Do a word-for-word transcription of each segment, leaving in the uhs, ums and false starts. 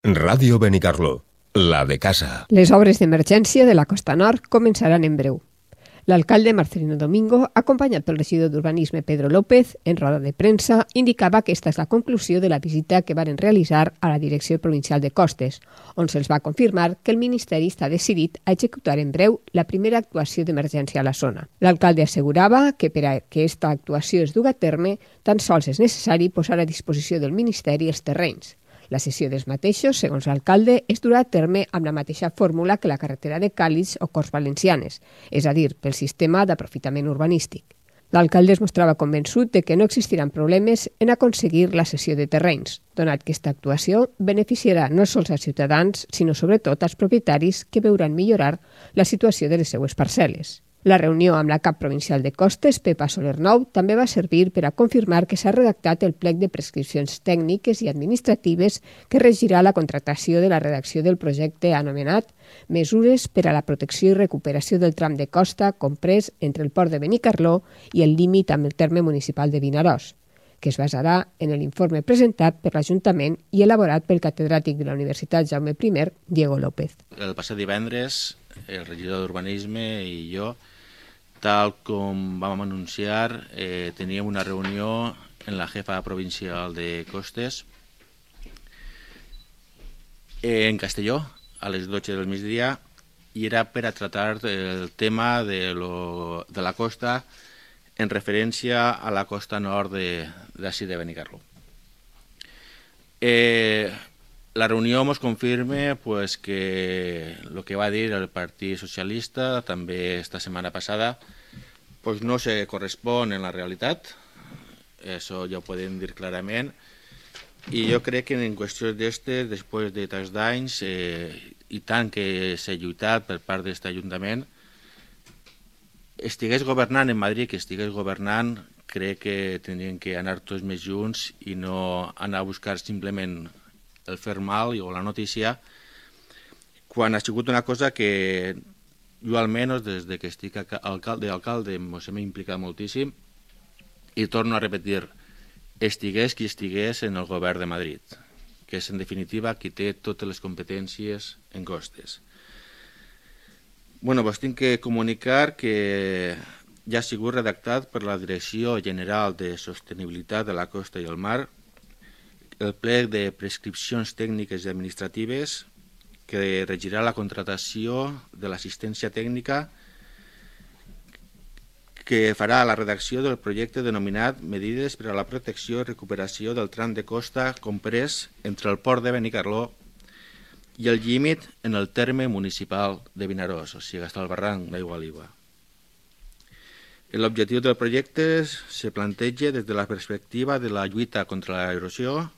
Ràdio Benicarló, la de casa. Les obres d'emergència de la Costa Nord començaran en breu. L'alcalde Marcelino Domingo, acompanyat pel regidor d'Urbanisme Pedro López, en roda de premsa, indicava que aquesta és la conclusió de la visita que varen realitzar a la Direcció Provincial de Costes, on se'ls va confirmar que el Ministeri està decidit a executar en breu la primera actuació d'emergència a la zona. L'alcalde assegurava que per a que aquesta actuació es duga a terme, tan sols és necessari posar a disposició del Ministeri els terrenys. La cessió dels mateixos, segons l'alcalde, es durà a terme amb la mateixa fórmula que la carretera de Càlig o Corts Valencianes, és a dir, pel sistema d'aprofitament urbanístic. L'alcalde es mostrava convençut de que no existiran problemes en aconseguir la cessió de terrenys, donat que aquesta actuació beneficiarà no sols als ciutadans, sinó sobretot als propietaris que veuran millorar la situació de les seues parcel·les. La reunió amb la cap provincial de Costes, Pepa Soler-Nou, també va servir per a confirmar que s'ha redactat el plec de prescripcions tècniques i administratives que regirà la contractació de la redacció del projecte anomenat Mesures per a la protecció i recuperació del tram de costa comprès entre el port de Benicarló i el límit amb el terme municipal de Vinaròs, que es basarà en l'informe presentat per l'Ajuntament i elaborat pel catedràtic de la Universitat Jaume primer, Diego López. El passat divendres, el regidor d'Urbanisme i jo, tal com vam anunciar, eh, teníem una reunió en la jefa provincial de Costes eh, en Castelló a les dotze del migdia i era per a tractar el tema de, lo, de la costa en referència a la costa nord d'ací de, de Benicarló. Eh, La reunió ens confirma pues, que el que va dir el Partit Socialista també esta setmana passada pues, no se correspon en la realitat, això ja ho podem dir clarament, i jo crec que en qüestions d'estes, després de tants d'anys eh, i tant que s'ha lluitat per part d'aquest Ajuntament, estigués governant en Madrid, que estigués governant, crec que tindrien que anar tots més junts i no anar a buscar simplement el fer mal o la notícia, quan ha sigut una cosa que jo almenys des de que estic alcalde alcalde m'he implicat moltíssim i torno a repetir, estigués qui estigués en el govern de Madrid, que és en definitiva qui té totes les competències en costes. Bueno, doncs tinc que comunicar que ja ha sigut redactat per la Direcció General de Sostenibilitat de la Costa i el Mar el plec de prescripcions tècniques i administratives que regirà la contractació de l'assistència tècnica que farà la redacció del projecte denominat Medides per a la protecció i recuperació del tram de costa comprès entre el port de Benicarló i el límit en el terme municipal de Vinaròs, o sigui, fins al barranc d'Aigualiba. L'objectiu del projecte se planteja des de la perspectiva de la lluita contra l'erosió,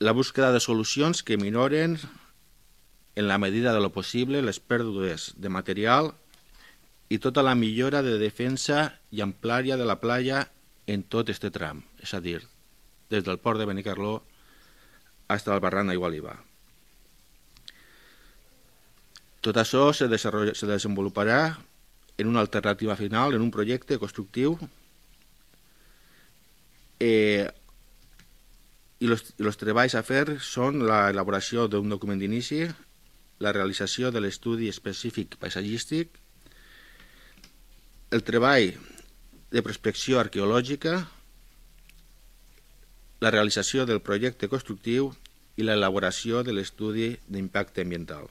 la búsqueda de solucions que minoren en la medida de lo possible les pèrdues de material i tota la millora de defensa i amplària de la playa en tot este tram, és a dir, des del port de Benicarló fins al barranc d'Aigualiba. Tot això se, se desenvoluparà en una alternativa final, en un projecte constructiu eh, i els treballs a fer són l'elaboració d'un document d'inici, la realització de l'estudi específic paisatgístic, el treball de prospecció arqueològica, la realització del projecte constructiu i l'elaboració de l'estudi d'impacte ambiental.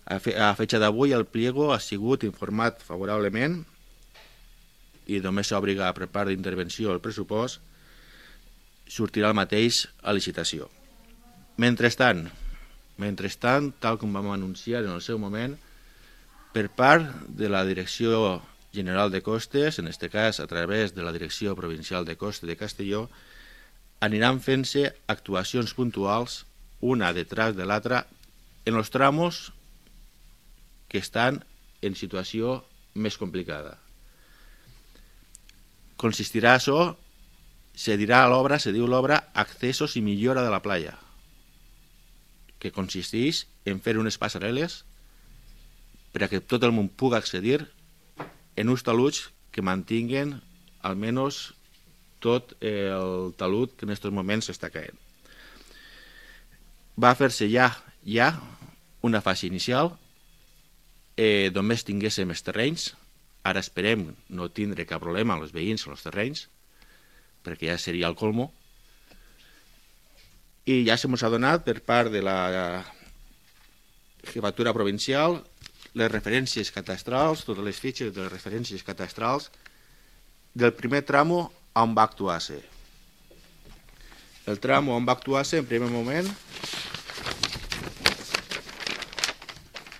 A fecha d'avui el pliego ha sigut informat favorablement i només s'obliga per part d'intervenció al pressupost, sortirà el mateix a licitació. Mentrestant, mentrestant, tal com vam anunciar en el seu moment, per part de la Direcció General de Costes, en aquest cas a través de la Direcció Provincial de Costes de Castelló, aniran fent-se actuacions puntuals, una detrás de l'altra, en els tramos que estan en situació més complicada. Consistirà això, se dirà a l'obra, se diu l'obra Accessos i millora de la playa, que consisteix en fer unes passarel·les per a que tot el món pugui accedir en uns taluds que mantinguen almenys tot el talud que en aquests moments s'està caent. va fer-se ja, ja una fase inicial, eh, només tinguéssim els terrenys. Ara esperem no tindre cap problema amb els veïns o els terrenys, perquè ja seria el colmo. I ja se mos ha donat per part de la Jefatura Provincial les referències catastrals, totes les fitxes de les referències catastrals del primer tramo on va actuar-se. El tramo on va actuar-se, en primer moment,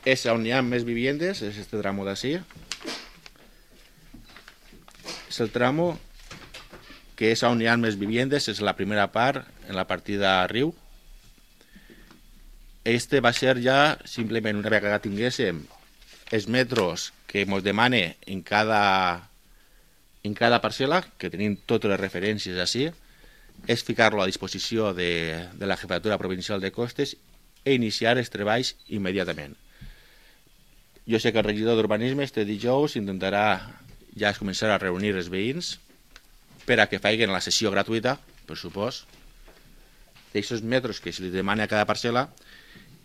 és on hi ha més viviendes, és este tramo d'ací. És el tramo que és on hi ha més viviendes, és la primera part, en la partida riu. Este va ser ja, simplement, una vegada que tinguéssim els metros que ens demane en cada, en cada parcel·la, que tenim totes les referències així, és ficar-lo a disposició de, de la Jefatura Provincial de Costes i iniciar els treballs immediatament. Jo sé que el regidor d'Urbanisme este dijous intentarà ja començar a reunir els veïns per a que facin la sessió gratuïta, per supòs, d'aixòs metres que se li demana a cada parcel·la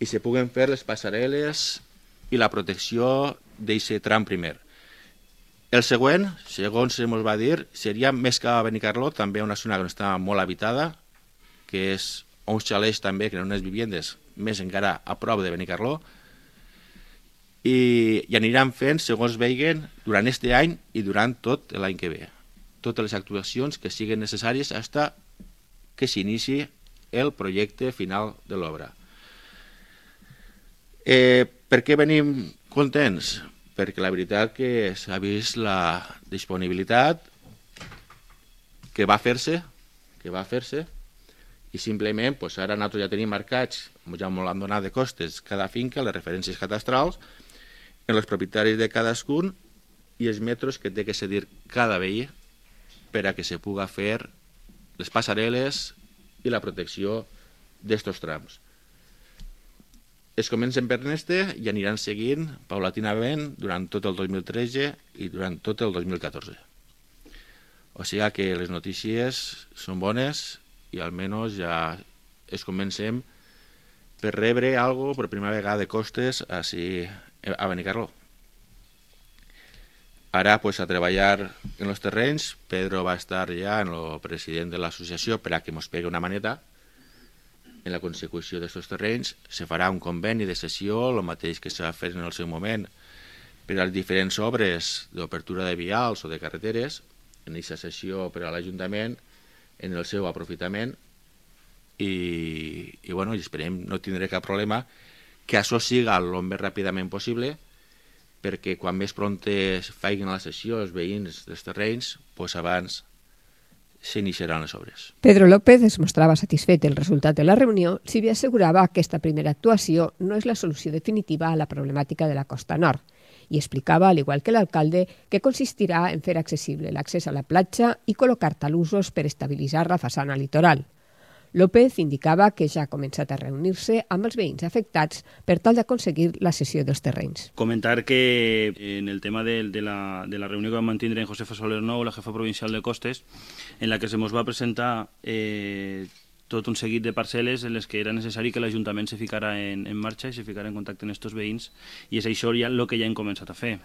i se puguen fer les passarel·les i la protecció d'aquest tram primer. El següent, segons se ens va dir, seria més que a Benicarló, també una zona que està molt habitada, que és uns xalets també, que eren unes viviendes més encara a prop de Benicarló, i, i aniran fent, segons veiguen, durant aquest any i durant tot l'any que ve. Totes les actuacions que siguin necessàries fins que s'inici el projecte final de l'obra. Eh, per què venim contents? Perquè la veritat que s'ha vist la disponibilitat que va fer-se, que va fer-se, i simplement pues, ara nosaltres ja tenim marcats, ja m'ho han donat de costes, cada finca, les referències catastrals, en els propietaris de cadascun i els metres que té que cedir cada veí per a que se puga fer les passarel·les i la protecció d'estos trams. Es comencen per este i aniran seguint paulatinament durant tot el dos mil tretze i durant tot el dos mil catorze. O sigui que les notícies són bones i almenys ja es comencem per rebre alguna cosa per primera vegada de costes així a Benicarló. Ara, pues, a treballar en els terrenys. Pedro va estar ja en el president de l'associació per a que ens pegui una maneta en la consecució d'aquests terrenys. Se farà un conveni de cessió, el mateix que s'ha fet en el seu moment per a les diferents obres d'obertura de vials o de carreteres, en aquesta cessió per a l'Ajuntament, en el seu aprofitament, i, i, bueno, i esperem no tindré cap problema que això siga el més ràpidament possible, perquè quan més prompte facin la cessió els veïns dels terrenys, doncs abans s'iniciaran les obres. Pedro López es mostrava satisfet del resultat de la reunió, si bé assegurava que aquesta primera actuació no és la solució definitiva a la problemàtica de la Costa Nord, i explicava, al igual que l'alcalde, que consistirà en fer accessible l'accés a la platja i col·locar talussos per estabilitzar la façana litoral. López indicava que ja ha començat a reunir-se amb els veïns afectats per tal d'aconseguir la cessió dels terrenys. Comentar que en el tema de, de, la, de la reunió que vam mantenir en Josefa Soler Nou, la jefa provincial de Costes, en la que se ens va presentar eh, tot un seguit de parcel·les en les que era necessari que l'Ajuntament se ficara en, en marxa i se ficara en contacte amb aquests veïns, i és això ja el que ja hem començat a fer.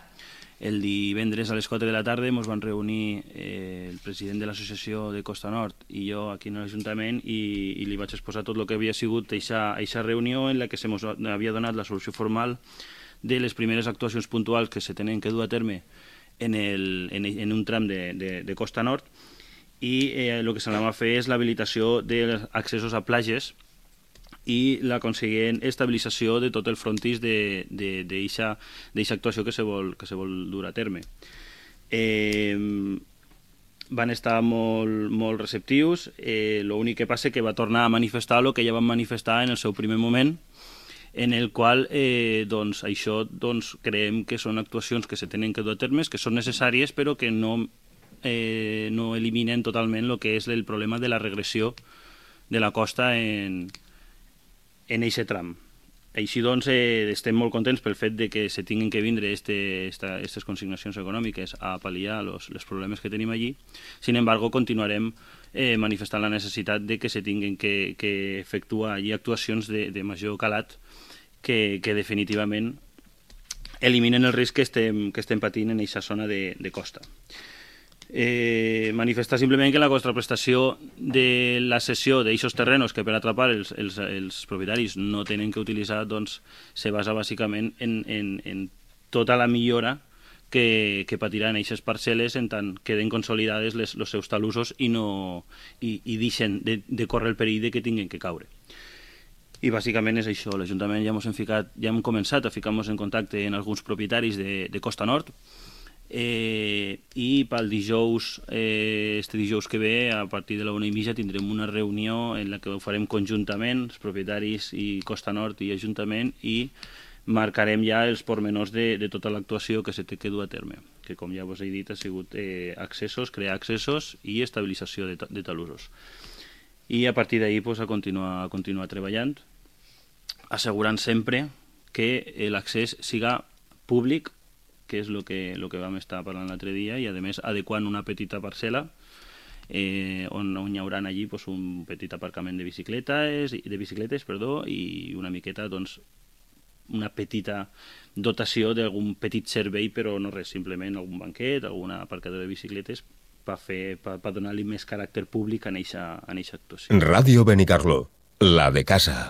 El divendres a les quatre de la tarda ens van reunir eh, el president de l'associació de Costa Nord i jo aquí en l'Ajuntament i, i li vaig exposar tot el que havia sigut aquesta reunió en la que se ens havia donat la solució formal de les primeres actuacions puntuals que se tenen que dur a terme en, el, en, en un tram de, de, de Costa Nord, i eh, el que s'anava a fer és l'habilitació dels accessos a platges i la consegüent estabilització de tot el frontis d'aquesta actuació que se, vol, que se vol dur a terme. Eh, van estar molt, molt receptius, eh, l'únic que passa que va tornar a manifestar el que ja van manifestar en el seu primer moment, en el qual eh, doncs, això doncs, creiem que són actuacions que se tenen que dur a terme, que són necessàries, però que no, eh, no eliminen totalment el que és el problema de la regressió de la costa en en aquest tram. així doncs eh, estem molt contents pel fet de que se tinguin que vindre aquestes consignacions econòmiques a pal·liar los, els problemes que tenim allí. Sin embargo, continuarem eh, manifestant la necessitat de que se tinguin que, que efectuar allí actuacions de, de major calat que, que definitivament eliminen el risc que estem, que estem patint en aquesta zona de, de costa. Eh, manifestar simplement que la contraprestació de la cessió d'aixos terrenos que per atrapar els, els, els propietaris no tenen que utilitzar, doncs se basa bàsicament en, en, en tota la millora que, que patiran aquestes parcel·les en tant queden consolidades els seus talussos i, no, i, i deixen de, de córrer el perill de que tinguin que caure. I bàsicament és això. L'Ajuntament ja, hem ficat, ja hem començat a ficar-nos en contacte amb alguns propietaris de, de Costa Nord, Eh, i pel dijous, eh, este dijous que ve, a partir de la una i mitja tindrem una reunió en la que ho farem conjuntament, els propietaris i Costa Nord i Ajuntament, i marcarem ja els pormenors de, de tota l'actuació que se té que dur a terme, que com ja vos he dit ha sigut eh, accessos, crear accessos i estabilització de, de talussos. I a partir d'ahir pues, a, continuar, a continuar treballant, assegurant sempre que l'accés siga públic, que és el que, lo que vam estar parlant l'altre dia, i a més adequant una petita parcel·la eh, on, on hi haurà allí pues, un petit aparcament de bicicletes, de bicicletes perdó, i una miqueta doncs, una petita dotació d'algun petit servei, però no res, simplement algun banquet, algun aparcador de bicicletes per fer, per, per donar-li més caràcter públic en eixa, en eixa actuació. Ràdio Benicarló, la de casa.